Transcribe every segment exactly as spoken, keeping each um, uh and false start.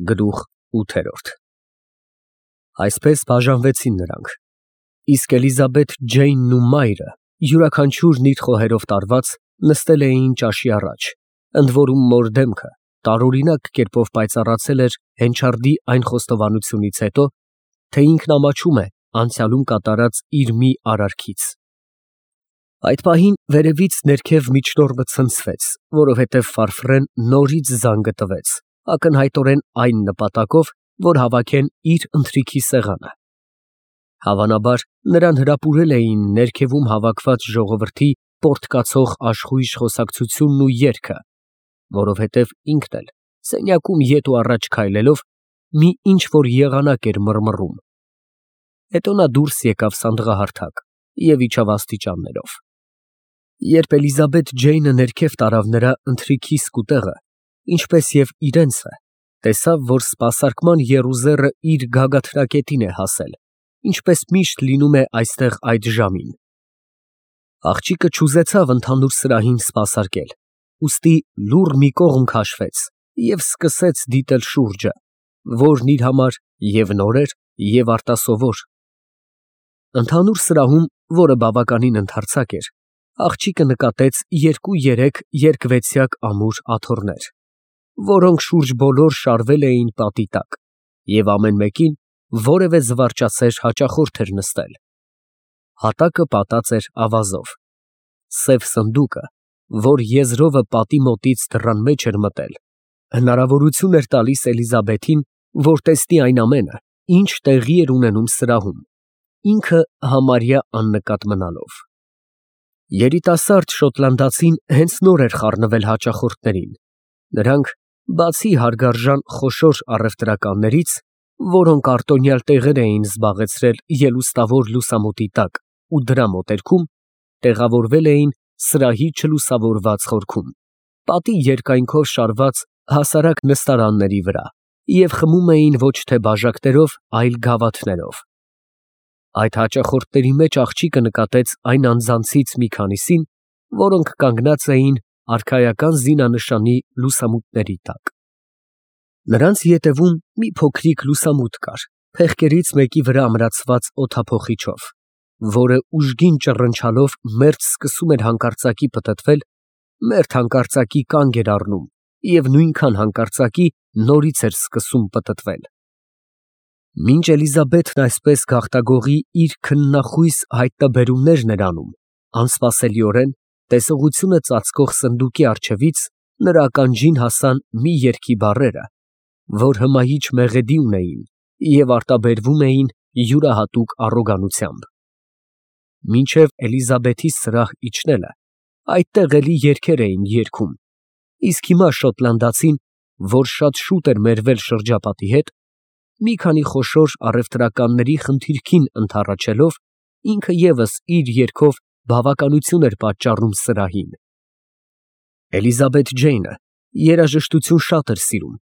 Գլուխ ութ Այսպես բաժանվեցին նրանք, իսկ Էլիզաբեթ Ջեյնն ու մայրը, յուրաքանչյուրն իր խոհերով տարված, նստել էին ճաշի առաջ, ընդ որում մոր դեմքը տարօրինակ կերպով պայծառացել էր Հենչարդի այն խոստովանությունից հետո, թե ինքն ամաչում է անցյալում կատարած իր մի արարքից։ Այդ պահին վերևից ներքև միջնորդը ցնցվեց, որովհետև Ֆարֆրեն նորից զանգը տվեց, ակնհայտորեն այն նպատակով, որ հավաքեն իր ընթրիքի սեղանը։ Հավանաբար, նրան հրապուրել էին ներքևում հավաքված ժողովրդի պոռթկացող աշխույժ խոսակցությունն ու երգը, որովհետև ինքն էլ, սենյակում ետ ու առաջ քայլելով, մի ինչ֊որ եղանակ էր մռմռում։ Հետո նա դուրս եկավ սանդղահարթակ և իջավ աստիճաններով։ Երբ Էլիզաբեթ Ջեյնը ներքև տարավ նրա ընթրիքի սկուտեղը, ինչպես և իրենցը, տեսավ, որ սպասարկման եռուզեռը իր գագաթնակետին է հասել, ինչպես միշտ լինում է այստեղ այդ ժամին։ Աղջիկը չուզեցավ ընդհանուր սրահին սպասարկել, ուստի լուռ մի կողմ քաշվեց և սկսեց դիտել շուրջը, որն իր համար և նոր էր, և արտասովոր։ Ընդհանուր սրահում, որը բավականին ընդարձակ էր, աղջիկը նկատեց երկու֊երեք երկվեցյակ ամուր աթոռներ, որոնք շուրջ բոլոր շարվել էին պատի տակ, և ամեն մեկին որևէ զվարճասեր հաճախորդ էր նստել։ Հատակը պատած էր ավազով։ Սև սնդուկը, որ եզրովը պատի մոտից դռան մեջ էր մտել, հնարավորություն էր տալիս Էլիզաբեթին, որ տեսնի այն ամենը, ինչ տեղի էր ունենում սրահում, ինքը համարյա աննկատ մնալով։ Երիտասարդ շոտլանդացին հենց նոր էր խառնվել հաճախորդներին։ Նրանք, բացի հարգարժան խոշոր առևտրականներից, որոնք արտոնյալ տեղեր էին զբաղեցրել ելուստավոր լուսամուտի տակ ու դրա մոտերքում, տեղավորվել էին սրահի չլուսավորված խորքում, պատի երկայնքով շարված հասարակ նստարանների վրա և խմում էին ոչ թե բաժակներով, այլ գավաթներով։ Այդ հաճախորդների մեջ աղջիկը նկատեց այն անձանցից մի քանիսին, որոնք կանգնած էին արքայական զինանշանի լուսամուտների տակ։ Նրանց ետևում մի փոքրիկ լուսամուտ կար, փեղկերից մեկի վրա ամրացված օդափոխիչով, որը ուժգին ճռնչալով մերթ սկսում էր հանկարծակի պտտվել, մերթ հանկարծակի կանգ էր առնում և նույնքան հանկարծակի նորից էր սկսում պտտվել։ Մինչ Էլիզաբեթն այսպես գաղտագողի իր քննախույս հայտնաբերումներն էր անում, անսպասելիորեն, տեսողությունը ծածկող սնդուկի առջևից նրա ականջին հասան մի երգի բառերը, որ հմայիչ մեղեդի ունեին և արտաբերվում էին յուրահատուկ առոգանությամբ։ Մինչև Էլիզաբեթի սրահ իջնելը այդտեղ էլի երգեր էին երգում, իսկ հիմա շոտլանդացին, որ շատ շուտ էր մերվել շրջապատի հետ, մի քանի խոշոր առևտրականների խնդիրքին ընդառաջելով, ինքը ևս իր երգով բավականություն էր պատճառում սրահին։ Էլիզաբեթ Ջեյնը երաժշտություն շատ էր սիրում։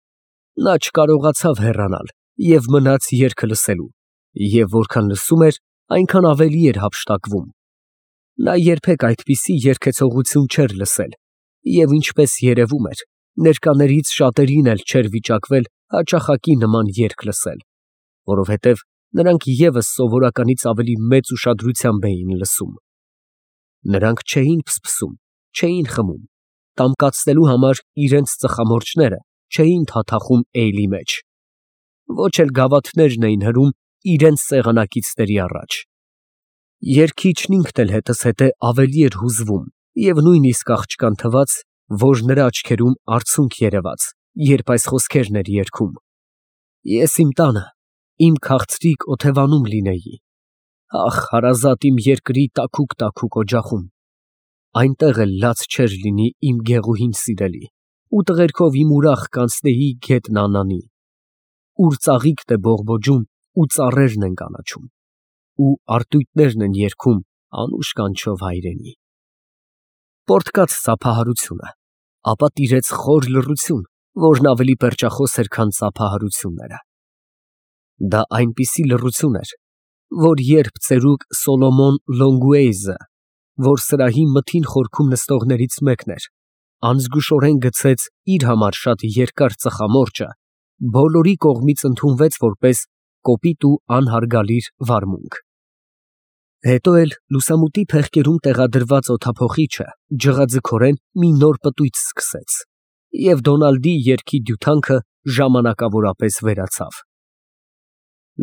Նա չկարողացավ հեռանալ և մնաց երգը լսելու, և որքան լսում էր, այնքան ավելի էր հափշտակվում։ Նա երբեք այդպիսի երգեցողություն չէր լսել և, ինչպես երևում էր, ներկաներից շատերին էլ չէր վիճակվել հաճախակի նման երգ լսել, որովհետև նրանք ևս սովորականից ավելի մեծ ուշադրությամբ էին լսում։ Նրանք չէին փսփսում, չէին խմում, տամկացնելու համար իրենց ծխամորճները չէին թաթախում էյլի մեջ, ոչ էլ գավաթներն էին հրում իրենց սեղանակիցների առաջ։ Երգիչն ինքն էլ հետզհետե ավելի էր հուզվում և նույնիսկ աղջկան թվաց, որ նրա աչքերում արցունք երևաց, երբ այս խոսքերն էր երգում. «Ես իմ տանը, իմ քաղցրիկ օթևանում լինեի, ախ, հարազատ իմ երկրի տաքուկ֊տաքուկ օջախում, այնտեղ էլ լաց չէր լինի իմ գեղուհին սիրելի, ու տղերքով իմ ուրախ կանցնեի գետն Անանի, ուր ծաղիկն է բողբոջում ու ծառերն են կանաչում, ու արտույտներն են երգում անուշ կանչով հայրենի»։ Պոռթկաց ծափահարությունը, ապա տիրեց խոր լռություն, որն ավելի պերճախոս էր, քան ծափահարությունները։ Դա այնպիսի լռություն էր, որ երբ ծերուկ Սոլոմոն Լոնգուեյզը, որ սրահի մթին խորքում նստողներից մեկն էր, անզգուշորեն գցեց իր համար շատ երկար ծխամորճը բոլորի կողմից ընդունվեց որպես կոպիտ ու անհարգալիր վարմունք։ Հետո էլ լուսամուտի փեղկերում տեղադրված օդափոխիչը ջղաձգորեն մի նոր պտույտ սկսեց, և Դոնալդի երգի դյութանքը ժամանակավորապես վերացավ։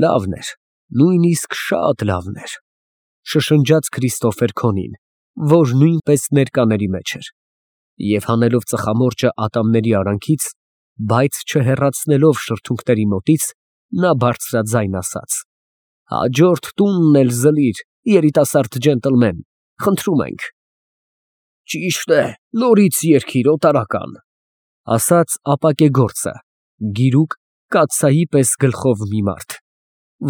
Լավն էր, նույնիսկ շատ լավն էր, շշնջաց Քրիստոֆեր Քոնին, որ նույնպես ներկաների մեջ էր, և հանելով ծխամորճը ատամների արանքից, բայց չհեռացնելով շրթունքների մոտից, նա բարձրաձայն ասաց. «Հաջորդ տունն էլ զլիր, երիտասարդ ջենտլմեն, խնդրում ենք»։ «Ճիշտ է, նորից երգիր, օտարական», ասաց ապակեգործը, գիրուկ կաթսայի պես գլխով մի մարդ,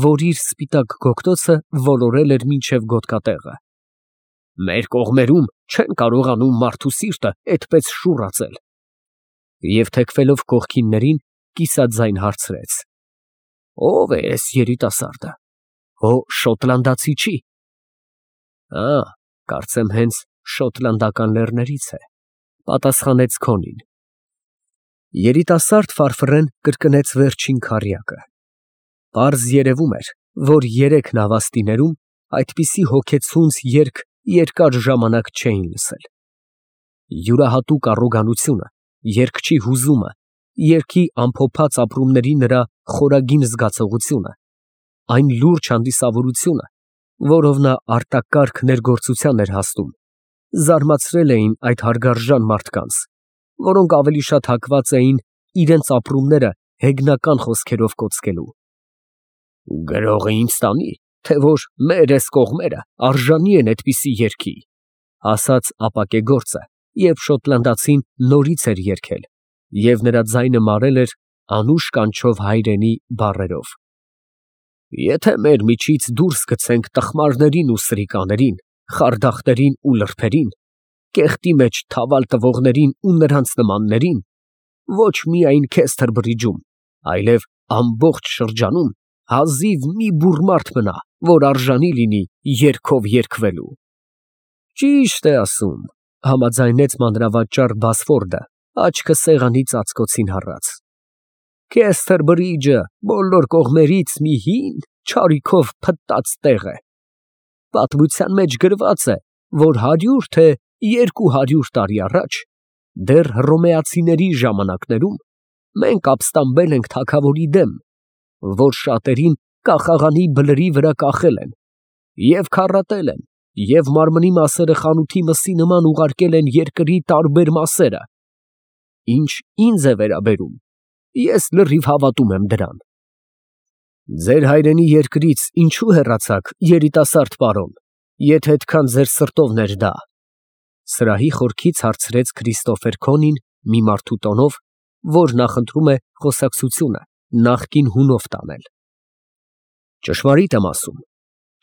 որ իր սպիտակ գոգտոցը ոլորել էր մինչև գոտկատեղը։ «Մեր կողմերում չեն կարողանում մարդու սիրտը էդպես շուռացել»։ Եվ թեքվելով կողքիններին, կիսաձայն հարցրեց. «Ո՞վ է էս երիտասարդը, հո շոտլանդացի չի»։ «Ա, կարծեմ հենց շոտլանդական լեռներից է», պատասխանեց Քոնին։ Երիտասարդ ֆարֆռեն կրկնեց վերջին քառյակը։ Պարզ երևում էր, որ երեք նավաստիներում այդպիսի հոգեցունց երգ երկար ժամանակ չէին լսել։ Յուրահատուկ առոգանությունը, երգչի հուզումը, երգի ամփոփած ապրումների նրա խորագին զգացողությունը, այն լուրջ հանդիսավորությունը, որով նա արտակարգ ներգործության էր հասնում, զարմացրել էին այդ հարգարժան մարդկանց, որոնք ավելի շատ հակված էին իրենց ապրումները հեգնական խոսքերով կոծկելու։ «Գրողը ինձ տանի, թե որ մեր էս կողմերը արժանի են այդպիսի երգի», ասաց ապակեգործը, երբ շոտլանդացին նորից էր երգել, և նրա ձայնը մարել էր անուշ կանչով հայրենի բառերով։ «Եթե մեր միջից դուրս գցենք տխմարներին ու սրիկաներին, խարդախներին ու լրբերին, կեղտի մեջ թավալ տվողներին ու նրանց նմաններին, ոչ միայն Քեսթերբրիջում, այլև ամբողջ շրջանում հազիվ մի բուռ մարդ մնա, որ արժանի լինի երգով երգվելու»։ «Ճիշտ է ասում», համաձայնեց մանրավաճառ Բասֆորդը, աչքը սեղանի ծածկոցին հառած։ «Քեսթերբրիջը բոլոր կողմերից մի հին, չարիքով փտտած տեղ է։ Պատմության մեջ գրված է, որ հարյուր թե երկու հարյուր տարի առաջ, դեռ հռոմեացիների ժամանակներում, մենք ապստամբել ենք թագավորի դեմ, որ շատերին կախաղանի բլրի վրա կախել են, և քառատել են, և մարմնի մասերը խանութի մսի նման ուղարկել են երկրի տարբեր մասերը։ Ինչ ինձ է վերաբերում, ես լրիվ հավատում եմ դրան։ Ձեր հայրենի երկրից ինչու հեռացաք, երիտասարդ պարոն, եթե այդքան ձեր սրտովն էր դա, սրահի խորքից հարցրեց Քրիստոֆեր Քոնին մի մարդու տոնով, որ նախընտրում է խոսակցությունը նախկին հունով տանել։ Ճշմարիտ եմ ասում,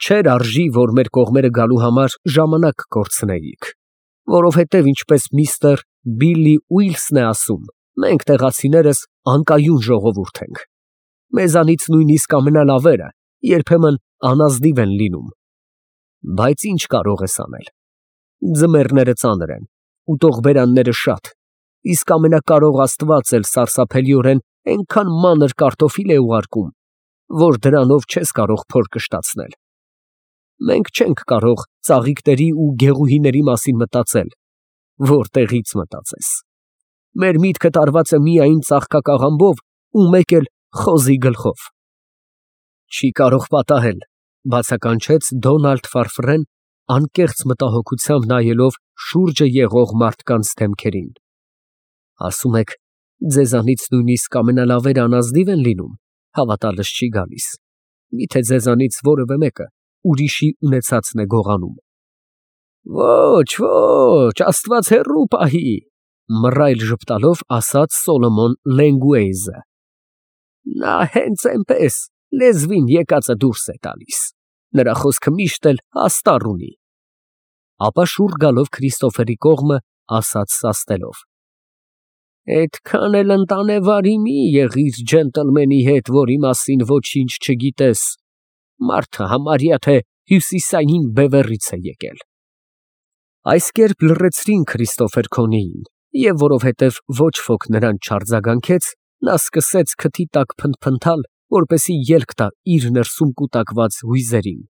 չէր արժի, որ մեր կողմերը գալու համար ժամանակ կորցնեիք, որովհետև ինչպես միստր Բիլլի Ուիլսն է ասում, մենք տեղացիներս անկայուն ժողովուրդ ենք։ Մեզանից նույնիսկ ամենալավերը երբեմն անազնիվ են լինում։ Բայց ինչ կարող ես անել։ Ձմեռները ծանր են, ուտող֊բերանները շատ, իսկ ամենակարող Աստված էլ սարսափելիորեն այնքան մանր կարտոֆիլ է ուղարկում, որ դրանով չես կարող փոր կշտացնել։ Մենք չենք կարող ծաղիկների ու գեղուհիների մասին մտածել, որտեղից մտածես։ Մեր միտքը տարված է միայն ծաղկակաղամբով ու մեկ էլ խոզի գլխով։ Չի կարող պատահել, բացականչեց Դոնալդ ֆարֆռեն, անկեղծ մտահոգությամբ նայելով շուրջը եղող մարդկանց դեմքերին։ Ասում եք, ձեզանից նույնիսկ ամենալավերը անազնիվ են լինում, հավատալս չի գալիս։ Միթե ձեզանից որևէ մեկը ուրիշի ունեցածն է գողանում։ Ոչ, ոչ, Աստված հեռու պահի, մռայլ ժպտալով ասաց Սոլոմոն Լենգուեյզը։ Նա հենց այնպես լեզվին եկածը դուրս է տալիս, նրա խոսքը միշտ էլ աստառ ունի։ Ապա շուռ գալով Քրիստոֆերի կողմը ասաց սաստելով. Այդքան էլ ընտանեվարի մի եղիր ջենտլմենի հետ, որի մասին ոչինչ չգիտես, մարդը համարյա թե հյուսիսային բևեռից է եկել։ Այս կերպ լռեցրին Քրիստոֆեր Քոնիին, և որովհետև ոչ ոք նրան չարձագանքեց, նա սկսեց քթի տակ փնթփնթալ, որպեսզի ելք տա իր ներսում կուտակված հույզերին։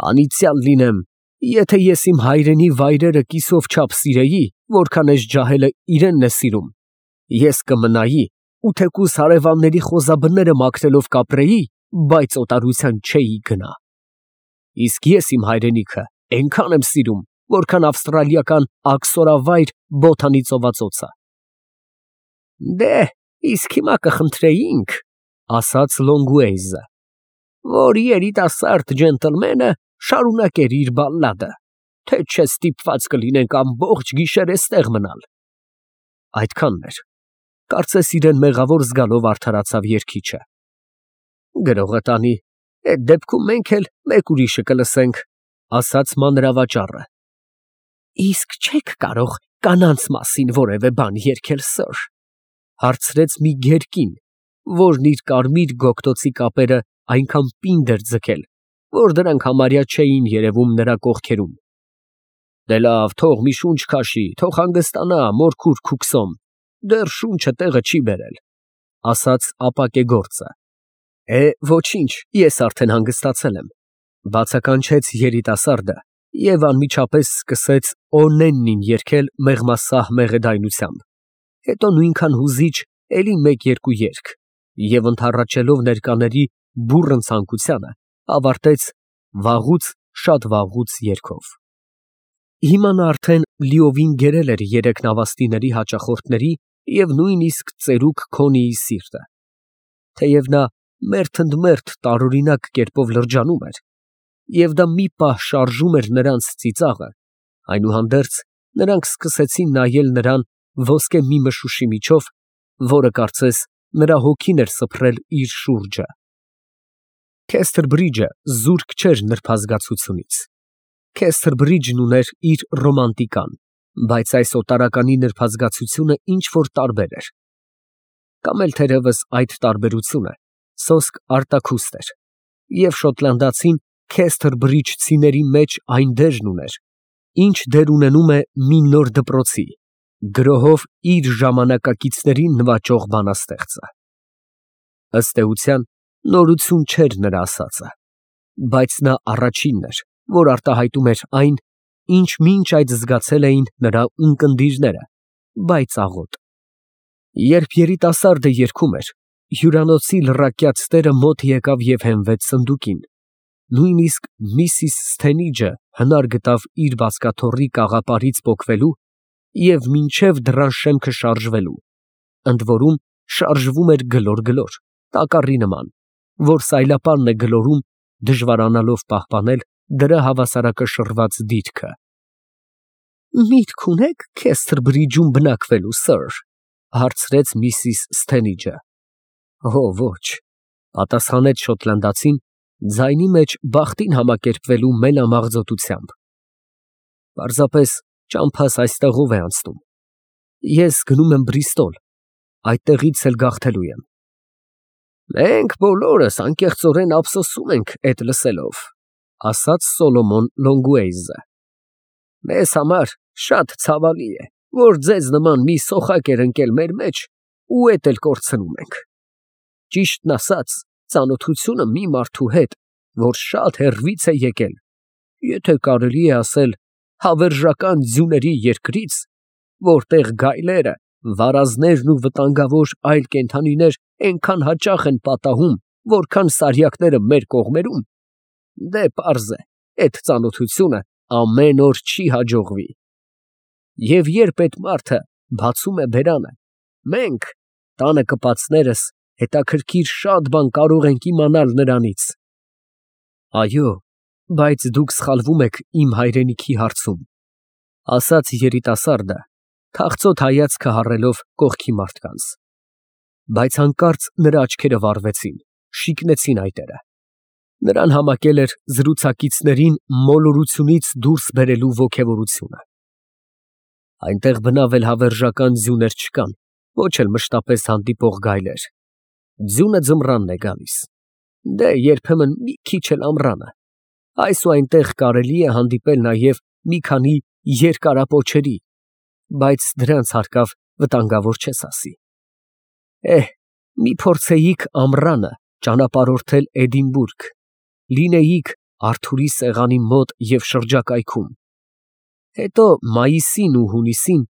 Անիծյալ լինեմ, եթե ես իմ հայրենի վայրերը կիսով չափ սիրեի, որքան էս ջահելը իրենն է սիրում, ես կմնայի ու թեկուզ հարևանների խոզաբները մաքրելով կապրեի, բայց օտարության չէի գնա։ Իսկ ես իմ հայրենիքը այնքան եմ սիրում, որքան ավստրալիական աքսորավայր Բոթանի ծովածոցը։ Դե, իսկ հիմա կխնդրեինք, ասաց Լոնգուեյզը, որ երիտասարդ ջենտլմենը շարունակեր իր բալլադը, թե չէ ստիպված կլինենք ամբողջ գիշեր էստեղ մնալ։ Այդքանն էր, կարծես իրեն մեղավոր զգալով արդարացավ երգիչը։ Գրողը տանի, այդ դեպքում մենք էլ մեկ ուրիշը կլսենք, ասաց մանրավաճառը։ Իսկ չեք կարող կանանց մասին որևէ բան երգել, սըր, հարցրեց մի գերկին, որն իր կարմիր գոգտոցի կապերը այնքան պինդ էր ձգել, որ դրանք համարյա չէին երևում նրա կողքերում։ Դե լավ, թող մի շունչ քաշի, թող հանգստանա, մորքուր քուքսոմ, դեռ շունչը տեղը չի բերել, ասաց ապակեգործը։ Է, ոչինչ, ես արդեն հանգստացել եմ, բացականչեց երիտասարդը և անմիջապես սկսեց Օնեննին երգել մեղմասահ մեղեդայնությամբ, հետո նույնքան հուզիչ էլի մեկ֊երկու երգ և ընդառաջելով ներկաների բուռն ցանկությանը, ավարտեց վաղուց, շատ վաղուց երգով։ Հիմա նա արդեն լիովին գերել էր երեք նավաստիների հաճախորդների և նույնիսկ ծերուկ Քոնիի սիրտը։ Թեև նա մերթընդմերթ տարօրինակ կերպով լրջանում էր, և դա մի պահ շարժում էր նրանց ծիծաղը, այնուհանդերձ նրանք սկսեցին նայել նրան ոսկե մի մշուշի միջով, որը կարծես նրա հոգին էր սփռել իր շուրջը։ Քեսթերբրիջը զուրկ չէր նրբազգացությունից։ Քեսթերբրիջն ուներ իր ռոմանտիկան, բայց այս օտարականի նրբազգացությունը ինչ֊որ տարբեր էր։ Կամ էլ թերևս այդ տարբերությունը սոսկ արտաքուստ էր, և շոտլանդացին քեսթերբրիջցիների մեջ այն դերն ուներ, ինչ դեր ունենում է մի նոր դպրոցի, գրոհով իր ժամանակակիցներին նվաճող բանաստեղծը։ Ըստ էության, նորություն չէր նրա ասածը, բայց նա առաջինն էր, որ արտահայտում էր այն, ինչ մինչ այդ զգացել էին նրա ունկնդիրները, բայց աղոտ։ Երբ երիտասարդը երգում էր, հյուրանոցի լռակյաց տերը մոտ եկավ և հենվեց սնդուկին, նույնիսկ միսիս Սթենիջը հնար գտավ իր բազկաթոռի կաղապարից պոկվելու և մինչև դռան շեմքը շարժվելու, ընդ որում շարժվում էր գլոր֊գլոր, տակառի նման, որ սայլապանն է գլորում, դժվարանալով պահպանել դրա հավասարակշռված դիրքը։ Միտք ունե՞ք Քեսթերբրիջում բնակվելու, սըր, հարցրեց միսիս Սթենիջը։ Օ, ոչ, պատասխանեց շոտլանդացին, ձայնի մեջ բախտին համակերպվելու մենամաղձոտությամբ։ Պարզապես ճամփաս այստեղով է անցնում։ Ես գնում եմ Բրիստոլ, այդտեղից էլ գաղթելու եմ։ Մենք բոլորս անկեղծորեն ափսոսում ենք էդ լսելով, ասաց Սոլոմոն Լոնգուեյզը։ Մեզ համար շատ ցավալի է, որ ձեզ նման մի սոխակ էր ընկել մեր մեջ ու էդ էլ կորցնում ենք։ Ճիշտն ասած, ծանոթությունը մի մարդու հետ, որ շատ հեռվից է եկել, եթե կարելի է ասել, հավերժական ձյուների երկրից, որտեղ գայլերը, վարազներն ու վտանգավոր այլ կենդանիներ այնքան հաճախ են պատահում, որքան սարյակները մեր կողմերում, դե պարզ է, այդ ծանոթությունը ամեն օր չի հաջողվի։ Եվ երբ այդ մարդը բացում է բերանը, մենք, տանը կպածներս, հետաքրքիր շատ բան կարող ենք իմանալ նրանից։ Այո, բայց դուք սխալվում եք իմ հայրենիքի հարցում, ասաց երիտասարդը, թախծոտ հայացքը հառելով կողքի մարդկանց։ Բայց հանկարծ նրա աչքերը վառվեցին, շիկնեցին այտերը։ Նրան համակել էր զրուցակիցներին մոլորությունից դուրս բերելու ոգևորությունը։ Այնտեղ բնավ էլ հավերժական ձյուներ չկան, ոչ էլ մշտապես հանդիպող գայլեր։ Ձյունը ձմռանն է գալիս, դե երբեմն մի քիչ էլ ամռանը, այս ու այնտեղ կարելի է հանդիպել նաև մի քանի երկարապոչերի, բայց դրանց հարկավ վտանգավոր չես ասի։ Էհ, մի փորձեիք ամռանը ճանապարհորդել Էդինբուրգ, լինեիք Արթուրի սեղանի մոտ և շրջակայքում, հետո մայիսին ու հունիսին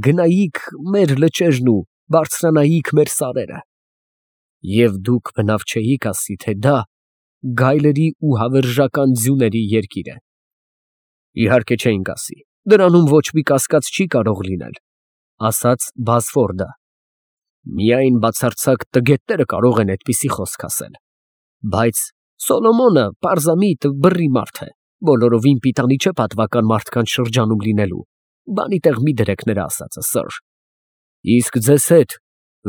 գնայիք մեր լճերն ու բարձրանայիք մեր սարերը, և դուք բնավ չէիք ասի, թե դա գայլերի ու հավերժական ձյուների երկիր է։ Իհարկե չէինք ասի, դրանում ոչ մի կասկած չի կարող լինել, ասաց Բազֆորդը, միայն բացարձակ տգետները կարող են այդպիսի խոսք ասել, բայց Սոլոմոնը պարզամիտ բռի մարդ է, բոլորովին պիտանի չէ պատվական մարդկանց շրջանում լինելու, բանի տեղ մի դրեք նրա ասածը, սըր։ Իսկ ձեզ հետ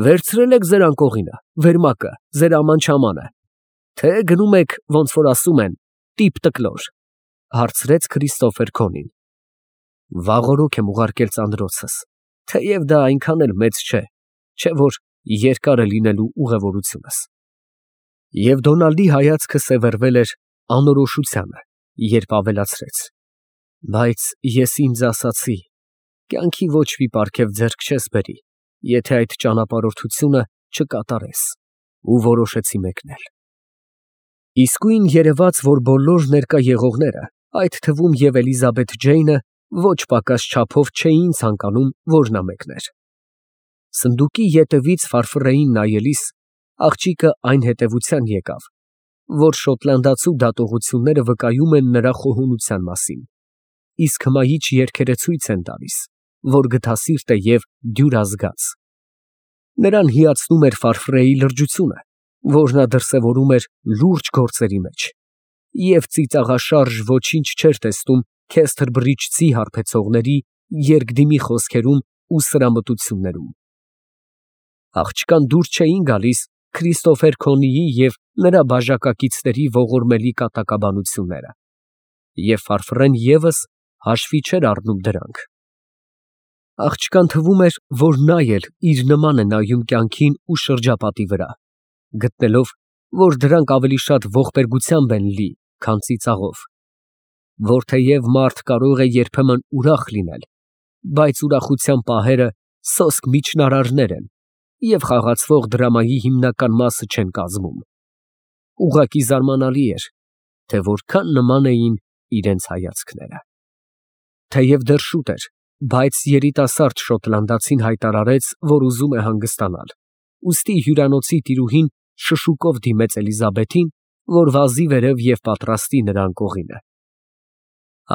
վերցրել եք ձեր անկողինը, վերմակը, ձեր աման֊չամանը, թե գնում եք, ոնց որ ասում են, տիպ֊տկլոր, հարցրեց Քրիստոֆեր Քոնին։ Վաղօրոք եմ ուղարկել ծանրոցս, թեև դա այնքան էլ մեծ չէ, չէ որ երկար է լինելու ուղևորությունս։ Եվ Դոնալդի հայացքը սևեռվել էր անորոշությանը, երբ ավելացրեց. բայց ես ինձ ասացի, կյանքի ոչ մի պարգև ձեռք չես բերի, եթե այդ ճանապարհորդությունը չկատարես, ու որոշեցի մեկնել։ Իսկույն երևաց, որ բոլոր ներկա եղողները, այդ թվում և Էլիզաբեթ Ջեյնը, ոչ պակաս չափով չէին ցանկանում, որ նա մեկներ։ Սնդուկի ետևից ֆարֆռեին նայելիս, աղջիկը այն հետևության եկավ, որ շոտլանդացու դատողությունները վկայում են նրա խոհունության մասին, իսկ հմայիչ երգերը ցույց են տալիս, որ գթասիրտ է և դյուրազգաց։ Նրան հիացնում էր ֆարֆռեի լրջությունը, որ նա դրսևորում էր լուրջ գործերի մեջ, և ծիծաղաշարժ ոչինչ չէր տեսնում Քեսթր բրիջցի հարբեցողների երկդիմի խոսքերում ու սրամտություններում։ Աղջկան դուր չէին գալիս Քրիստոֆեր Քոնիի և նրա բաժակակիցների ողորմելի կատակաբանությունները, և ֆարֆռեն ևս հաշվի չէր առնում դրանք։ Աղջկան թվում էր, որ նա էլ իր նման է նայում կյանքին ու շրջապատի վրա, գտնելով, որ դրանք ավելի շատ ողբերգությամբ են լի, քան ծիծաղով, որ թեև մարդ կարող է երբեմն ուրախ լինել, բայց ուրախության պահերը սոսկ միջնարարներ են և խաղացվող դրամայի հիմնական մասը չեն կազմում։ Ուղղակի զարմանալի էր, թե որքան նման էին իրենց հայացքները։ Թեև դեռ շուտ էր, բայց երիտասարդ շոտլանդացին հայտարարեց, որ ուզում է հանգստանալ, ուստի հյուրանոցի տիրուհին շշուկով դիմեց Էլիզաբեթին, որ վազի վերև և պատրաստի նրա անկողինը։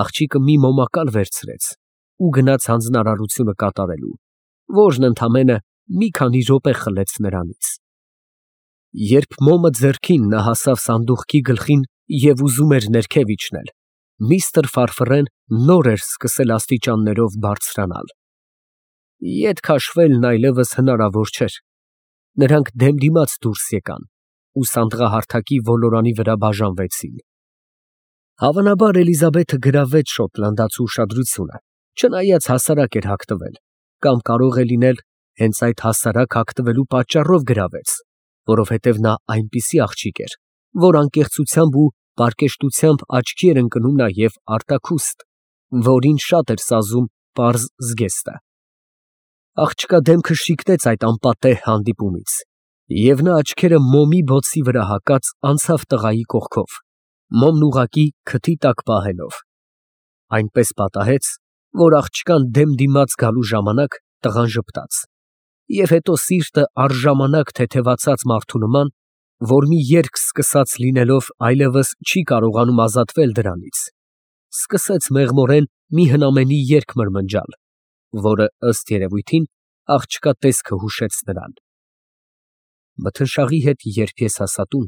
Աղջիկը մի մոմակալ վերցրեց ու գնաց հանձնարարությունը կատարելու, որն ընդամենը մի քանի րոպե խլեց նրանից։ Երբ մոմը ձեռքին նա հասավ սանդուղքի գլխին և ուզում էր ներքև իջնել, միստր Ֆարֆռեն նոր էր սկսել աստիճաններով բարձրանալ։ Ետ քաշվելն այլևս հնարավոր չէր։ Նրանք դեմդիմաց դուրս եկան ու սանդղահարթակի ոլորանի վրա բաժանվեցին։ Հավանաբար Էլիզաբեթը գրավեց շոտլանդացու ուշադրությունը, չնայած հասարակ էր հագտվել, կամ կարող է լինել հենց այդ հասարակ հագտվելու պատճառով գրավեց, որովհետև նա այնպիսի աղջիկ էր, որ անկեղծությամբ ու պարկեշտությամբ աչքի էր ընկնում նաև արտաքուստ, որին շատ էր սազում պարզ զգեստը։ Աղջկա դեմքը շիկնեց այդ անպատեհ հանդիպումից, և նա աչքերը մոմի բոցի վրա հակած անցավ տղայի կողքով, մոմն ուղղակի քթի տակ պահելով, այնպես պատահեց, որ աղջկան դեմ դիմաց գալու ժամանակ տղան ժպտաց, և հետո սիրտը առժամանակ թեթևացած մարդու նման, որ մի երգ սկսած լինելով այլևս չի կարողանում ազատվել դրանից, սկսեց մեղմորեն մի հնամենի երգ մրմնջալ, որը, ըստ երևույթին, աղջկա տեսքը հուշեց նրան. Մթնշաղի հետ երբ ես հասա տուն,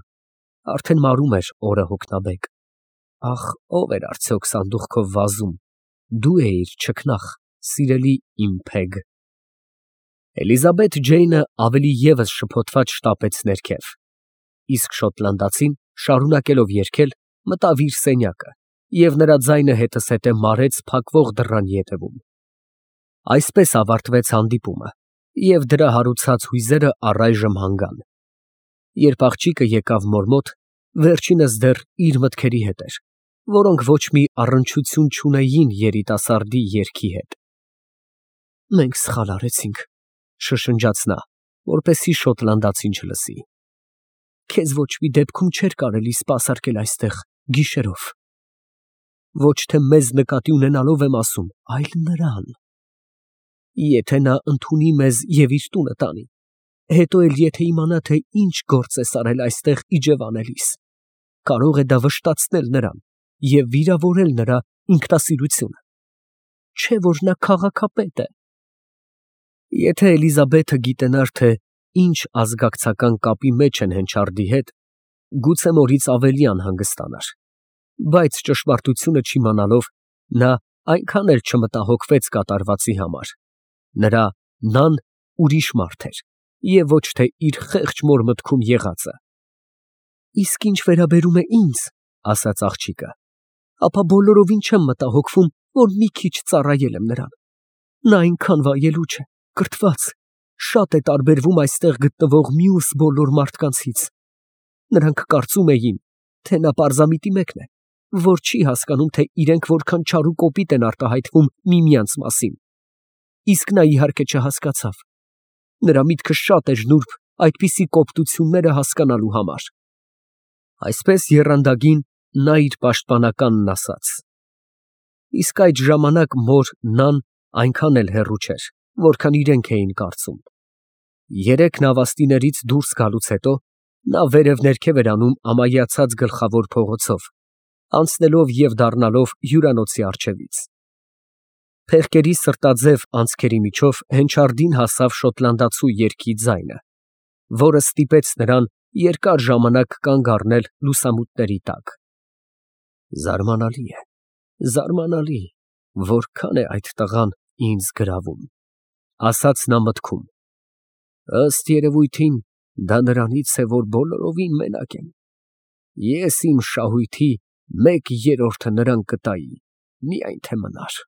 արդեն մարում էր օրը հոգնաբեկ, ախ, ո՞վ էր արդյոք սանդուղքով վազում, դու էիր, չքնաղ, սիրելի իմ Փեգ։ Էլիզաբեթ Ջեյնը ավելի ևս շփոթված շտապեց ներքև, իսկ շոտլանդացին, շարունակելով երգել, մտավ իր սենյակը, և նրա ձայնը հետզհետե մարեց փակվող դռան ետևում։ Այսպես ավարտվեց հանդիպումը, և դրա հարուցած հույզերը առայժմ հանգան։ Երբ աղջիկը եկավ մոր մոտ, վերջինս դեռ իր մտքերի հետ էր, որոնք ոչ մի առնչություն չունեին երիտասարդի երգի հետ։ «Մենք սխալ արեցինք», շշնջաց նա, որպեսզի շոտլանդացին չլսի։ Քեզ ոչ մի դեպքում չէր կարելի սպասարկել այստեղ գիշերով։ Ոչ թե մեզ նկատի ունենալով եմ ասում, այլ նրան։ Եթե նա ընդունի մեզ և իր տունը տանի, հետո էլ եթե իմանա, թե ինչ գործ ես արել այստեղ իջևանելիս, կարող է դա վշտացնել նրան և վիրավորել նրա ինքնասիրությունը, չէ՞ որ նա քաղաքապետ է։ Եթե Էլիզաբեթը գիտենար, թե ինչ ազգակցական կապի մեջ են Հենչարդի հետ, գուցե մորից ավելի անհանգստանար, բայց ճշմարտությունը չիմանալով, նա այնքան էլ չմտահոգվեց կատարվածի համար, նրա նան ուրիշ մարդ էր և ոչ թե իր խեղճ մոր մտքում եղածը։ Իսկ ինչ վերաբերում է ինձ, ասաց աղջիկը, ապա բոլորովին չեմ մտահոգվում, որ մի քիչ ծառայել եմ նրան։ Նա այնքան վայելուչ է, կրթված, շատ է տարբերվում այստեղ գտնվող մյուս բոլոր մարդկանցից։ Նրանք կարծում էին, թե նա պարզամիտի մեկն է, որ չի հասկանում, թե իրենք որքան չար ու կոպիտ են արտահայտվում միմյանց մասին։ Իսկ նա իհարկե չհասկացավ։ Նրա միտքը շատ էր նուրբ այդպիսի կոպտությունները հասկանալու համար։ Այսպես եռանդագին նա իր պաշտպանականն ասաց։ Իսկ այդ ժամանակ մոր նան այնքան էլ հեռու չէր, որքան իրենք էին կարծում։ Երեք նավաստիներից դուրս գալուց հետո նա վերև ներքև էր անում ամայացած գլխավոր փողոցով, անցնելով և դառնալով հյուրանոցի առջևից։ Փեղկերի սրտաձև անցքերի միջով Հենչարդին հասավ շոտլանդացու երգի ձայնը, որը ստիպեց նրան երկար ժամանակ կանգ առնել լուսամուտների տակ։ Զարմանալի է, զարմանալի, որքան է այդ տղան ինձ գրավում, ասաց նա մտքում։ Ըստ երևույթին, դա նրանից է, որ բոլորովին մենակ եմ։ Ես իմ շահույթի մեկ երրորդը նրան կտայի, միայն թե մնար։